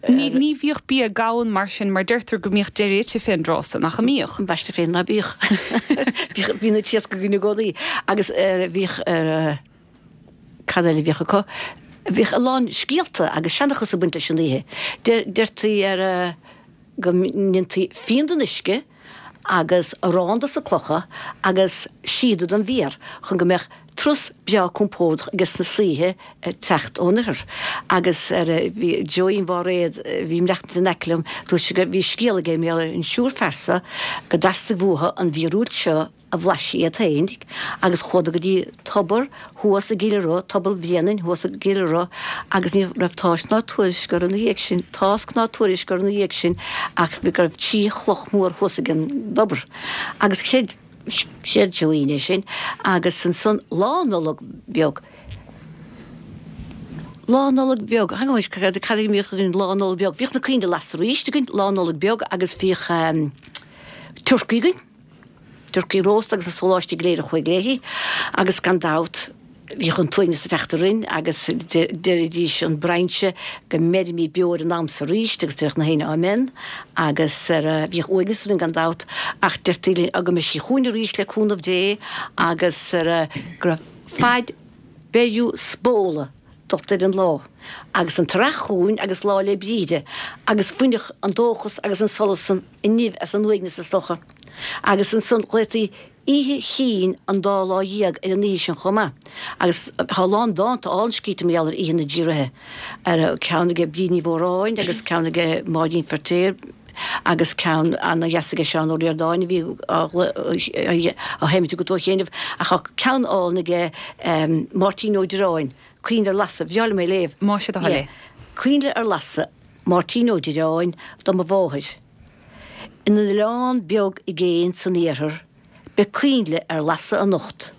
Ní bhíodh bia gann mar sin mar deirtear go mbíodh deireadh ite fén dtráth san, nach mbíodh?
Ambaiste féin ná bíodh. Bhíodh, bhí na t-iasc againn i gcónaí agus bhíodh, cad eile a bhíodh acu? Bhíodh a lán scéalta agus seanchas ag baint leis an oíche. Deirtí ar go ndéantaí fíon den uisce agus arán dos na clocha agus síoda don bhféar chun go mbeadh turas breá compordach ages na saoithe ag teacht ón oirthear. Agus ar bhí Joeín Mháiréad, a bhí ag maireachtaint in aice liom, dúirt sé go bhí scéal aige mar gheall ar an triúr fear so go dteastaigh uathu an mhíorúilt seo a bhlaiseadh iad féin agus chuadar go dtí tobar thuas i gCill Ro, Tobar Bhréanainn thuas i gCill Ro agus ní raibh tásc ná tuairisc orthu ina dhiaidh sin, tásc ná tuairisc orthu ina dhiaidh sin ach go raibh trí chloch mhór thuas ag an dtobar agus chreid, chreid Joeín é sin agus ansan Lá Nollag Bheag, Lá Nollag Beag, hang on, cad a bhíodh againn Lá Nollag Beag, bhíodh na coinnle lasta arís againn Lá Nollag Beag agus bhíodh turcaí againn. Turcaí rósta agus na sóláistí go léir a chuaigh léi, agus gan dabht bhíodh an t-uaigneas ag teacht orainn agus deiridís an brainse go mbeirimid beo ar an am so arís agus déarfadh na héinne Amen agus bhíodh uaigneas orainn gan dabht ach deirtí linn go mbeidh sí chugainn arís le cúnamh Dé agus go raibh faid beiriú spóla dulta ar an lá agus an t-earrach chugainn agus Lá 'le Bríde agus bhainfeadh an dóchas agus an solas san an nimh as an uaigneas is dócha. Agus ansan ghlaotaí Oíche Chinn an Dá Lá Dhéag ar an oíche sin chomh maith. Agus tá a lán dánta álainn scríte mar gheall ar Oíche na dTrí Ríthe. Ar ceann aige Bríd Ní Mhóráin agus ceann aige Máirín Feirtéar agus ceann ana-dheas aige Seán Ó Ríordáin a bhí á sheimint agat ó chianaibh. Ach tá ceann álainn aige Máirtín Ó Direáin, Coinnle ar Lasadh. Bhreá liom é a léamh.
Más é do thoil é.
Coinnle ar Lasadh, Máirtín Ó Direáin, do mo mháthair. In oileán beag i gcéin san iarthar beidh coinnle ar lasadh anocht.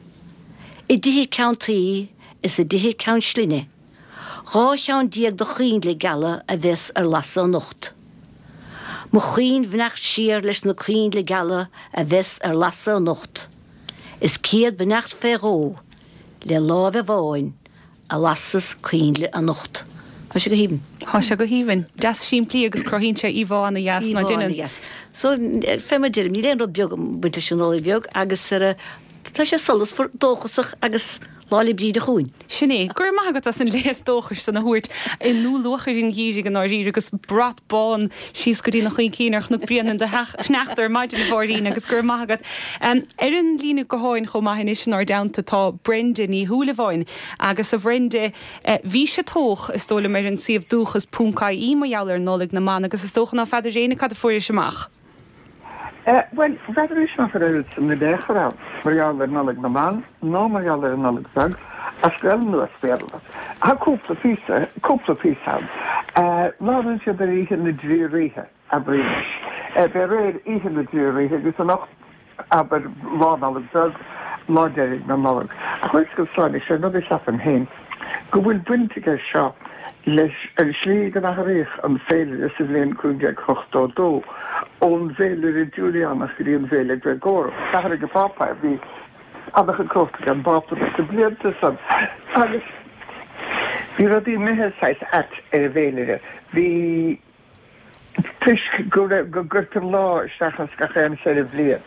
I dtithe ceann tuí is i dtithe ceann slinne, 12 cheann de choinnle geala a bheas ar lasadh anocht. Mo chaoinbheannacht siar leis na coinnle geala a bheas ar lasadh anocht, is céad beannacht fé dhó le láimh amháin a lasas coinnle anocht. Tá sé go haoibhinn.
Tá sé go haoibhinn. Deas simplí agus cruthaíonn sé íomhá ana dheas, ná
Íomhá
déanann?
ana dheas. So, fé mar deirim, níl aon rud beag ag baint leis an Nollaig Bheag agus ar a, tá sé solasmhar, dóchasach agus Lá 'le Bríde chugainn.
Sin é. Go raibh maith agat as an léas dóchais san a thabhairt i ndúluachair an gheimhridh i ndáiríre agus brat bán síos go dtí na chuincín ar Chnoc Bréanainn do theach sneachta ar maidin a Mháirín agus go raibh maith agat. Ar an líne gutháin chomh maith anois inár dteannta tá Brenda Ní Shúilleabháin. Agus a Bhrenda, bhís ag toghadh, is dóigh liom, ar an suíomh dúchas ponc ie mar gheall ar Nollaig na mBan agus is dócha ná feadar éinne cad a fuairis amach.
Bhuel, n'fheadar anois nach raibh oiread san in aon chor ann mar gheall ar Nollaig na mBan ná mar gheall ar an Nollaig Bheag as Gaelainn nó as Béarla. Tá cúpla píosa, cúpla píosa ann. Labhrann siad ar Oíche na dTrí Ríthe. Abraimis. B'é aréir Oíche na dTrí Ríthe agus anocht, abair, Lá Nollag Beag, lá deiridh na Nollag. Ach bhfuil a fhios agat, Sláine, sé an rud a cheapaim féin, go bhfuil baint aige seo leis an slí go n-athraíodh an féilire sa bhliain 1582, ón bhféilire Giúiliánach go dtí an bhféile Gréagórach. D'athraigh an Pápa, bhí an-chuid cumhachta ag an bPápa sna blianta san agus bhí rudaí imithe saghas ait ar an bhféilire. Bhí. Toisc go raibh, go gcuirtear lá isteach as gach aon cheithre bhliain,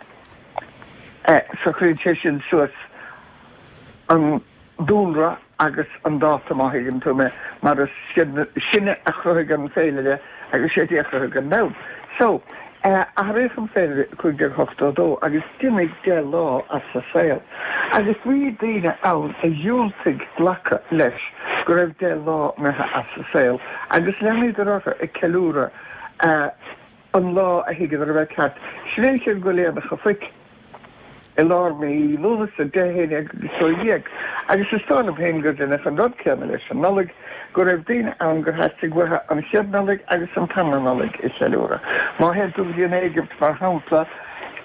so cuireann sé sin suas an dúlra agus an dáta, má thuigeann tú mé, mar is sinne a chruthaigh an féilire agus sé Dia a chruthaigh an domhan. So, athraíodh an féilire i 1582 agus d'imigh 10 lá as sa saol. Agus bhí daoine ann a dhiúltaigh glacadh leis go raibh 10 lá imithe as a saol agus leanadar orthu ag ceiliúradh an lá a thuigeadar a bheith ceart. Sin é an chéad go Aonach a' Phoic i lár mí Lúnasa, 10, 11 agus 12, agus is dóigh liom féin gur deineadh an rud céanna leis an Nollaig, go raibh daoine ann gur theastaigh uathu an chéad Nollaig agus an tarna Nollaig a cheiliúradh. Má théann tú go dtí an Éigipt, mar shampla,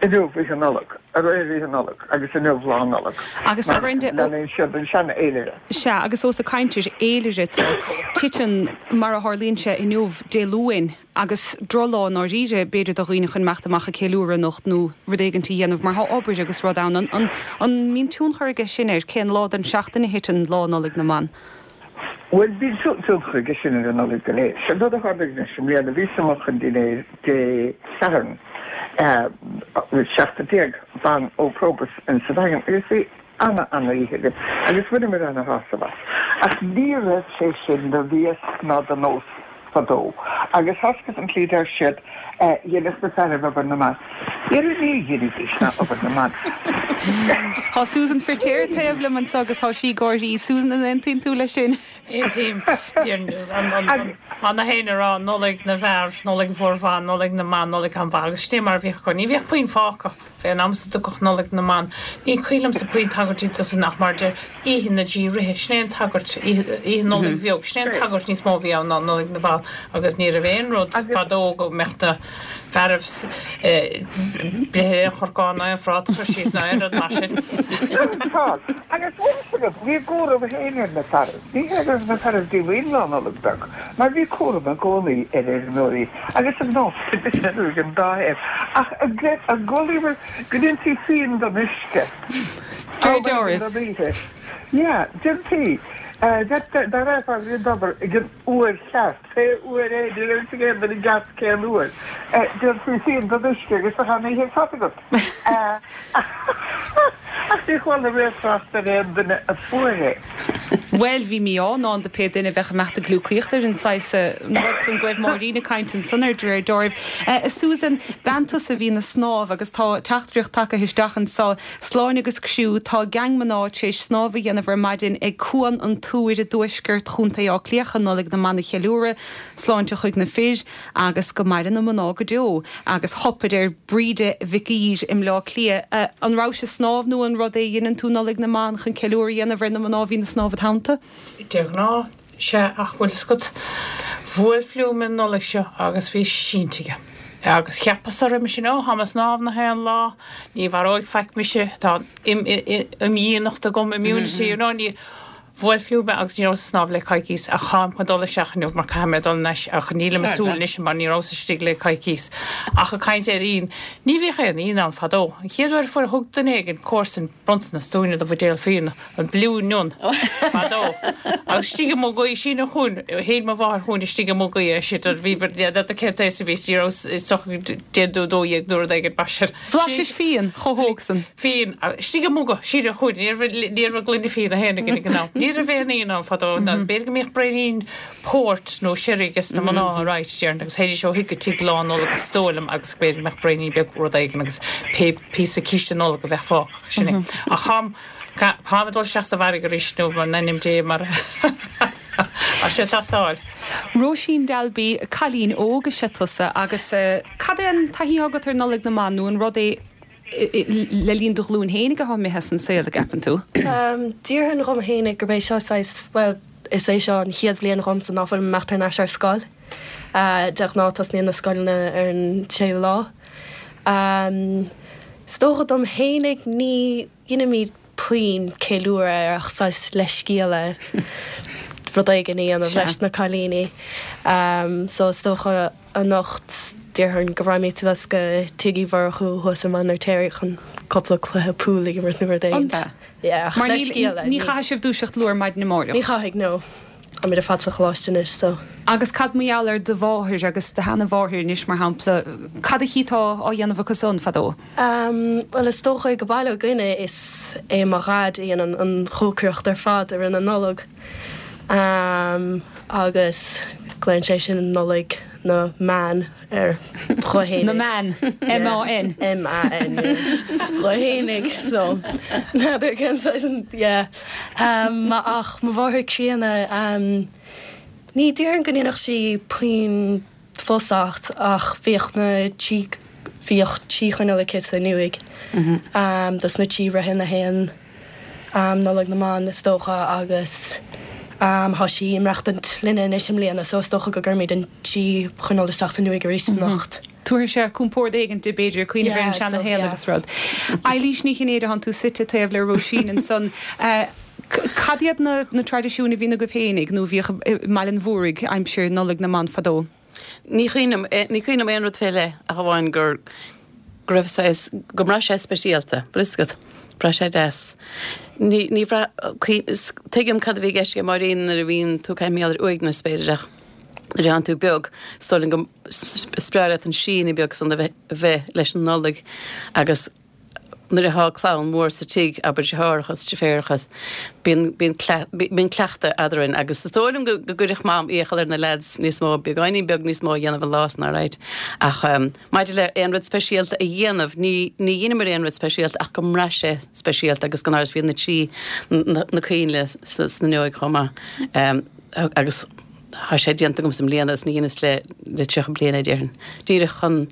inniu Oíche Nollag, aréir Oíche Nollag agus inniu Lá Nollag,
Agus a
mar
Bhrenda,
leanann siad an seanfhéilire.
Sea, agus ós ag caint ar fhéilire tú, titeann, mar a tharlaíonn sé inniu, Dé Luain, Agus drochlá i ndáiríre, b'fhéidir, do dhaoine chun imeacht amach ag ceiliúradh anocht nó rud éigint a dhéanamh mar tá obair agus rud ann. An mbíonn tionchar aige sin ar cén lá den seachtain a thiteann Lá Nollag na mBan?
Bhuel, bíonn tionchar aige sin ar an Nollaig go léir. Sé an rud a tharla anois i mbliana, bhíos amuigh chun dinnéir Dé Sathairn, 17 ban ó Probus in sa Daingean agus bhí ana ana oíche againn agus bhaineamar ana shásamh as. Ach ní raibh sé sin de mhias ná de nós fadó. Agus tá a fhios agat an tslí deir siad, dheineadh na fearaibh obair na mban. Dhera ní dheinidís ná obair na mban.
Tá Susan Firtéar taobh liom anseo agus tá sí ag gáirí. Susan, an aontaíonn tú leis sin?
Aontaím. Mar na héinne a rá, Nollaig na bhfear, Nollaig mhór mhaith, Nollaig na mban, Nollaig an-mhaith agus sin é mar a bhíodh acu. Ní bhíodh puinn fágtha. Fén am is a dtugadh Nollaig na mBan, ní cuimhin liomsa puinn tagairtí dó san ach mar deir Oíche na dTrí Ríthe, sin é an tagairt, Oíche Nollaig Bheag, sin é an tagairt níos mó a bhí ann ná Nollaig na mBan agus ní raibh aon rud fadó go mbeadh na fearaibh breith aon chorcán ná aon phráta a chur síos ná aon rud mar sin.
Agus bhfuil fhios agat, bhí a gcúram féin ar na fearaibh. Ní hé go raibh na fearaibh díomhaoin Lá Nollag Beag, mar bhí cúram i gcónaí ar fheirmeoirí agus ar nós ag an dá thaobh, ach an gcualaíobhair go ndéantaí fíon den uisce?
Deir deoraibh.
Don oíche. Yeah, déantaí. Dá rachfá go dtí an tobar ag an uair cheart, pé uair é, ní raibh fhios ag aon duine i gceart cén uair, déantaí fíon den uisce agus bheadh an oíche ar fad agat. Ach ní chuala riamh trácht ar aon duine a fuair é.
Bhuel, bhí mí-ádh i ndán do pé duine a bheadh ag imeacht ag gliúcaíocht ar an saghas rud san go raibh Máirín ag caint ansan air de réir dealraimh. A Susan, bean tusa a bhíonn ag snámh agus tá teachtaireacht tagtha isteach anso, Sláine agus criú, tá geaing mná tar éis snámh a dhéanamh ar maidin ag Cuan an Túir i dtuaisceart Chontae Átha Cliath chun Nollaig na mBan a cheiliúradh. Sláinte chuig na fir. Agus go maire na mná go deo. Agus hup, a deir Bríde Mhic Uidhir i mBleá Cliath. An rabhais ag snámh nó an rud é a dheineann tú Nollaig na mBan chun ceiliúradh a dhéanamh ar na mná a bhíonn ag snámh id theannta?
De ghnáth, sea, ach bhfuil 's agat, bhuail fliú mé an Nollaig seo agus bhí sínte aige. Agus cheapas-sa roimhe sin, ó, táim ag snámh nach aon lá, ní mharóidh faic mise, tá an imdhíonacht agam, immunity, you know, ní. Bhuail fliú mé agus ní rabhas ag snámh le coicíos ach táim chun dul isteach inniu mar caithfidh mé dul anois ach nílim ag súil anois mar ní rabhas istigh le coicíos. Ach ag caint ar fhíon, ní bhíodh aon fhíon ann fadó. An chéad uair a fuair thug duine éigin comharsan bronntanas dúinne de bhuidéal fíona, an Blue Nun, fadó. Agus istigh i mugaí, síneadh chugainn, shín mo mháthair chugainn istigh i mugaí é sin, bhí n'fheadar cén t-aos a bhí is ní rabhas is dócha 12 nó rud éigin mar sin.
Bhlaisis fíon chomh hóg san.
Fíon, istigh i muga, síneadh chugainn, ní raibh, ní raibh gloine fíona féin againn ag an am. Ní raibh aon fhíon ann fadó, ná b'fhéidir go mbíodh braoinín port nó sherry ages na mná right, déarfainn, agus théidís ó thigh go tigh Lá Nollag is dóigh liom agus b'fhéidir go mbeadh braoinín beag rud éigin agus pé píosa císte Nollag a bheadh fágtha, sin é. Ach táim, táim ag dul isteach sa bhfarraige arís nó in ainm Dé mar. Tá sé ag teastáil.
Róisín Dalby, Cailín óg is ea tusa agus cad é an taithí atá agat ar Nollaig na mBan nó an rud é le linn do ghlúin fhéinig atá imithe as an saol, a gceapann tú?
Déarfainn dhom fhéinig gurb é seo saghas, bhuel, is é seo an chéad bhliain dhomsa ná fuilim ag imeacht thar n-ais ar scoil. De ghnáth tosnaíonn na scoileanna ar an séú lá. Is dócha dom fhéinig ní dheinimid puinn ceiliúradh air ach saghas leithscéal rud éigin a dhéanamh leis na cailíní. So is dócha anocht déarfainn go raghaimid suas go Tigh Uí Mhurchú thuas i Mainéar Toirí chun cúpla cluiche pool a imirt nó rud éigin.
An ea?
Yeah, ach
Mar níl,
leithscéal
ní chaithfidh sibh dúiseacht luath ar maidin amáireach?
Ní chaithfidh, no. Táimid ar fad sa choláiste anois so.
Agus cad mar gheall ar do mháthair agus do sheana-mháthair anois, mar shampla, cad a chíteá á dhéanamh acu san fadó?
Bhuel, is dócha ag baile againne is é mo dhaid a dhéanann an chócaireacht ar fad i rith na Nollag agus glaonn sé sin Nollaig Na meáin ar dho fhéinig.
Na meáin, M-A-N.
M-A-N, yeah. Dho fhéinig, so n'fheadar cén saghas an, yeah. Ach mo mháthair críonna, ní déarfainn go ndéanfadh sí puinn fusacht ach bhíodh na trí, bhíodh trí choinneal aici san uaigh, dos na trí ríthe na haon. Nollaig na mBan is dócha agus tá sí ag maireachtaint linne anois i mbliana so is dócha go gcuirfimid an trí choinneal isteach san uaigh arís anocht.
Tabharfaidh sé compord éigin di b'fhéidir, cuimhneamh ar an seana shaol agus rud. Eilís Ní Chinnéide, tánn tú suite taobh le Róisín ansan. Cad iad na traidisiúin a bhíonn agaibh féinig nó a bhíodh i mBaile an Mhúraigh aimsir Nollaig na mBan fadó?
Ní chuimhním, ní cuimhin liom aon rud fé leith ach amháin gur, go raibh saghas, go mbraith sé speisialta, bhfuil fhios agat, bhraith sé deas. Ní, ní bhraith, tuigim cad a bhí i gceist ag Máirín nuair a bhíonn tú ag caint mar gheall ar uaigneas b'fhéidir ach nuair atánn tú beag, is dóigh liom go, is breá leat an síneadh beag san a bheith, a bheith leis an Nollaig agus nuair atá clann mhór sa tigh, abair deartháireacha is deirfiúracha, bíonn, bíonn, bíonn cleachtadh eadrainn agus is dóigh liom go, go gcuirfeadh Mam iachall ar na leaids níos mó, beagáinín beag níos mó a dhéanamh an lá san alright. Ach maidir le aon rud speisialta a dhéanamh, ní, ní dheineamar aon rud speisialta ach go mbraith sé speisialta agus gan amhras bhí na trí, na, na coinnle sna fhuinneoig chomh maith agus tá sé déanta agamsa i mbliana is ní dheineas le, le 30 bliain é déarfainn. Díreach chun,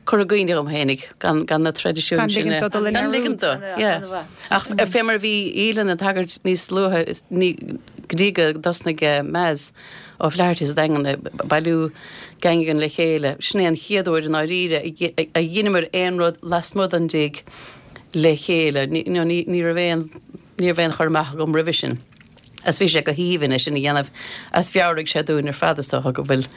cur i gcuimhne dhom fhéinig, gan, gan na traidisiúin
Gan
sin
ligint
a,
dó dul i
gan ligint
ndearúd.
dó, yeah. Ach fé mar a bhí Aoileann ag tagairt níos luaithe, ní, go dtí go dtosnaigh Maz O'Flaherty sa Daingean ag bailiú geaingean le chéile, sin é an chéad uair i ndáiríre a, a dheineamar aon rud lasmuigh den dtigh le chéile. Ní, you know, ní, ní raibh aon, ní raibh aon chur amach agam roimhe sin. Agus bhí sé go haoibhinn é sin a dhéanamh agus mheabhraigh sé dúinn ar fad is dócha go bhfuil,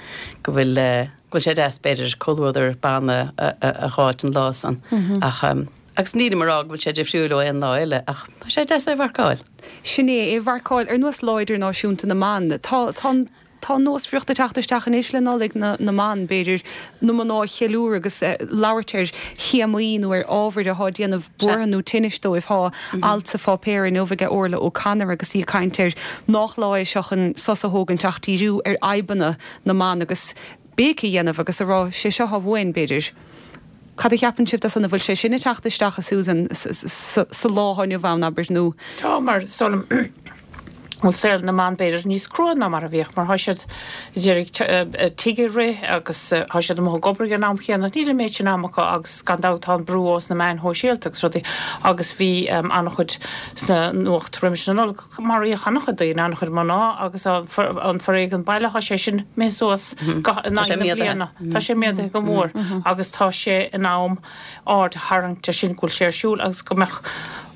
go bhfuil eh, go bhfuil sé deas b'fhéidir comhluadar ban a, a, a dh'fháilt an lá san. Ach em, agus nílim a rá go bhfuil sé difriúil ó aon lá eile ach tá sé deas é a mharcáil.
Sin é, é a mharcáil ar nós Lá Idirnáisiúnta na mBan. Tá, tá an. Tá an nósmhaireacht ag teacht isteach anois le Nollaig na mBan, b'fhéidir, na mná a cheiliúradh agus labhairt ar théamaí nó ar ábhair atá ag déanamh buartha nó tinnis dóibh. Tá alt sa pháipéar inniu ag Orla O'Connor agus í ag caint ar nách lá é seo chun sos a thógaint ach díriú ar fhadhbanna na mban agus béic a dhéanamh agus a rá 'sé seo atá uainn, b'fhéidir. Cad a cheapann sibh de san? An bhfuil sé sin ag teacht isteach, a Susan, sa lá atá inniu ann, abair, nó.
Tá, mar is dóigh liom go bhfuil saol na mban b'fhéidir níos crua ná mar a bhíodh, mar tá siad ag iarraidh tigh a rith agus tá siad amuigh ag obair ag an am chéanna. Níl an méid sin ama acu agus gan dabht tá an brú ós na meáin shóisialta agus rudaí agus bhí an-chuid sna nuacht roimis na Nollag. Maraíodh an-chuid daoine, an-chuid mná agus an foréigean baile, tá sé sin imithe suas in aghaidh na bliana. Tá sé méadaithe go mór agus tá sé in am aird a tharraingt air sin go bhfuil sé ar siúl agus go mbeadh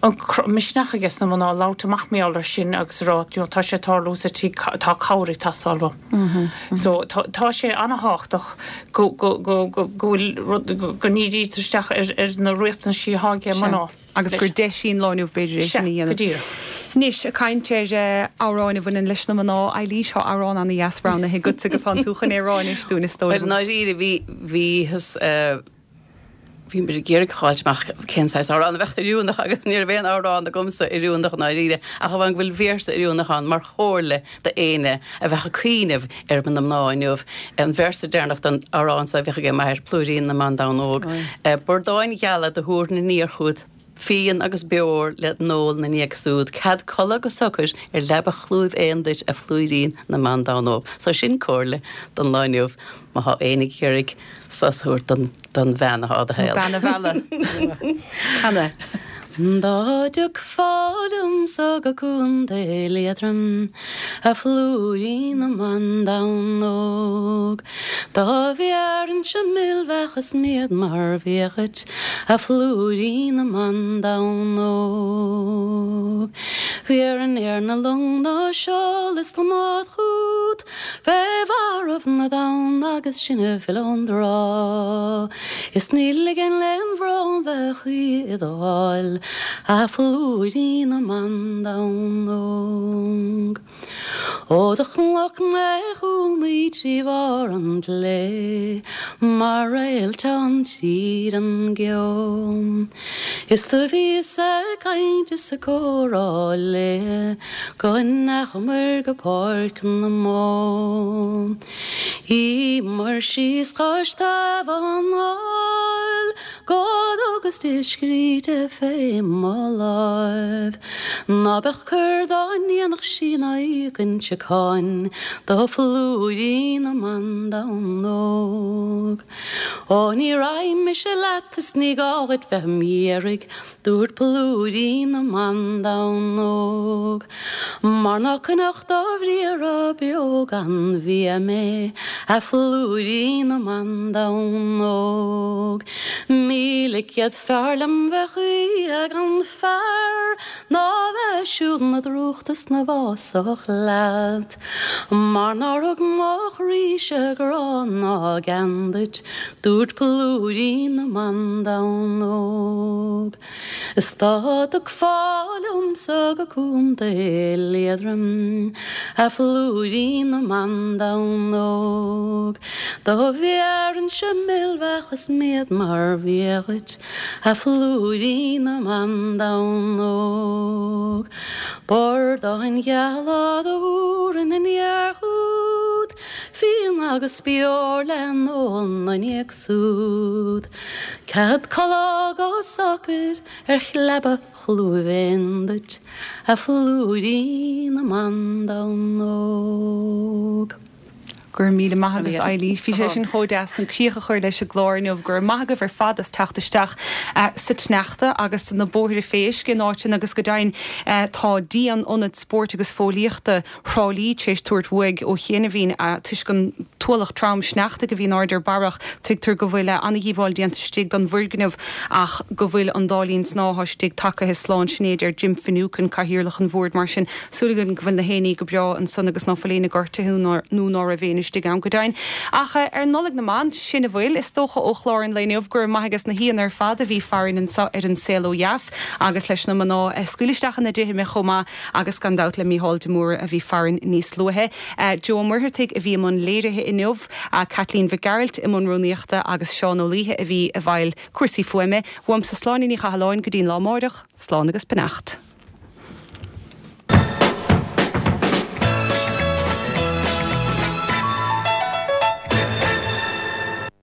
an misneach aige sna mná labhairt amach mar gheall air sin agus a rá you know tá sé ag tarlú sa tigh, tá cabhair ag teastáil uaim. So tá sé an-thábhachtach go go go go bhfuil rud go ndírítear isteach ar na riachtanaisí atá ag mná.
Agus gur deis í an lá inniu b'fhéidir é sin a dhéanamh.
Sea, go díreach.
Anois, ag caint ar amhráin a bhaineann leis na mná, Eilís, tá amhrán ana-dheas roghnaithe agatsa agus tánn tú chun é a rá anois dúinn, is dóigh
liom. Bhuel, i ndáiríre, bhí, bhíothas, bhí muid ag iarraidh a fháilt amach cén saghas amhrán a bheadh oiriúnach agus ní raibh aon amhrán agamsa oiriúnach i ndáiríre, ach amháin go bhfuil véarsa oiriúnach ann mar chomhairle d'éinne a bheadh ag cuimhneamh ar na mná inniu. An véarsa deireanach den amhrán so a bhíodh ag m'athair, Plúirín na mBan Donn Óg. Bordáin gheala do thabharfainn aniar chugat, fíon agus beoir le n-ól 'na ndiaidh súd, cead codladh go socair ar leaba chlúimh éan duit, a phlúirín na mBan Donn Óg. So sin comhairle don lá inniu má thá éinne ag iarraidh sos a thabhairt don bhean athá i do shaol.
Bean a mhealladh.
Can é.
Dá dtiocfá liomsa go Contae Liatroim, a phlúirín na mban donn óg, Dá bheárainnse mil-bheach is míod mar bhia dhuit, a phlúirín na mban donn óg. Bhéarfainn ar na long ná seol is na mbád chút, Fé bharraibh na dtonn agus sinn a fhilleadh ón dtrá. Is ní ligfinn lem bhrón bheith choíche i do dháil, a phlúirín na mban donn óg. Ó do chonac mé chuaigh mé trí bharr an tslé mar réaltán tríd an gceo. Is do bhíos ag caint is ag comhrá léi go ndeachamar go páirc na mbó.
Shuíomair síos cois taobh an aill Go dtugas di scríte fé mo láimh Ná beadh coir dá ndéanfadh sí ná íocfainnse cáin Do phlúirín na mban donn óg. Ó ní raghaidh mise leat is ní gá dhuit bheith im iarraidh Dúirt plúirín na mban donn óg, Mar ná coinneodh do bhriathra beo gan bhia mé, a phlúirín na mban donn óg. 1100 fearr liom bheith choíche gan fear ná bheith ag siúl 'na drúcht is 'na bhfásach leat. Mar nár thug mo chroíse grá ná gean duit, dúirt plúirín na mban donn óg. Is dá dtiocfá liomsa go Contae Liatroim, a phlúirín na mban donn óg, do bhéarfainnse mil-bheach is méad mar bhia dhuit, a phlúirín na mban donn óg. Bordáin gheala do thabharfainn aniar chugat, fíon agus beoir le n-ól 'na ndiaidh súd. Cead codladh go socair ar chleaba chlúimh éin duit, a phlúirín na mban donn óg.
Go raibh míle maith agat, Eilís. Bhí sé sin chomh deas chun críoch a chur leis an gclár inniu. Go raibh maith agaibh ar fad as teacht isteach sa tsneachta agus na bóithre fé uisce in áiteanna agus go deimhin tá díon Ionad Spóirt agus Fóillíochta Thrá Lí tar éis tabhairt uaidh ó chianaibhín toisc an t-ualach trom sneachta a bhí in airde ar barrach. Tuigtear go bhfuil an-dhíobháil déanta istigh don bhfoirgneamh ach go bhfuil an dá linn snámha istigh tagaithe slán. Sin é a deir Jim Finucane, Cathaoirleach an Bhoird. Mar sin, Súil againn go bhfuil na héinní go breá ansan agus ná fuil éinne gortaithe nó ná raibh éinne istigh ann go deimhin. Ach ar Nollaig na mBan, sin a bhfuil, is dócha, ó chlár an lae inniu. Go raibh maith ages na haíonna ar fad a bhí farainn anso ar An Saol Ó Dheas agus leis na mná a scaoil isteach ina dtithe mé chomh maith agus gan dabht le Mícheál de Mórdha a bhí farainn níos luaithe. Joe Ó Muircheartaigh a bhí i mbun léirithe inniu, Caitlín Mhic Gearailt i mbun rúnaíochta agus Seán Ó Laoithe a bhí i bhfeighil cúrsaí fuaime. Uaimse Sláine Ní Chathalláin go dtí'n lá amáireach, slán agus beannacht.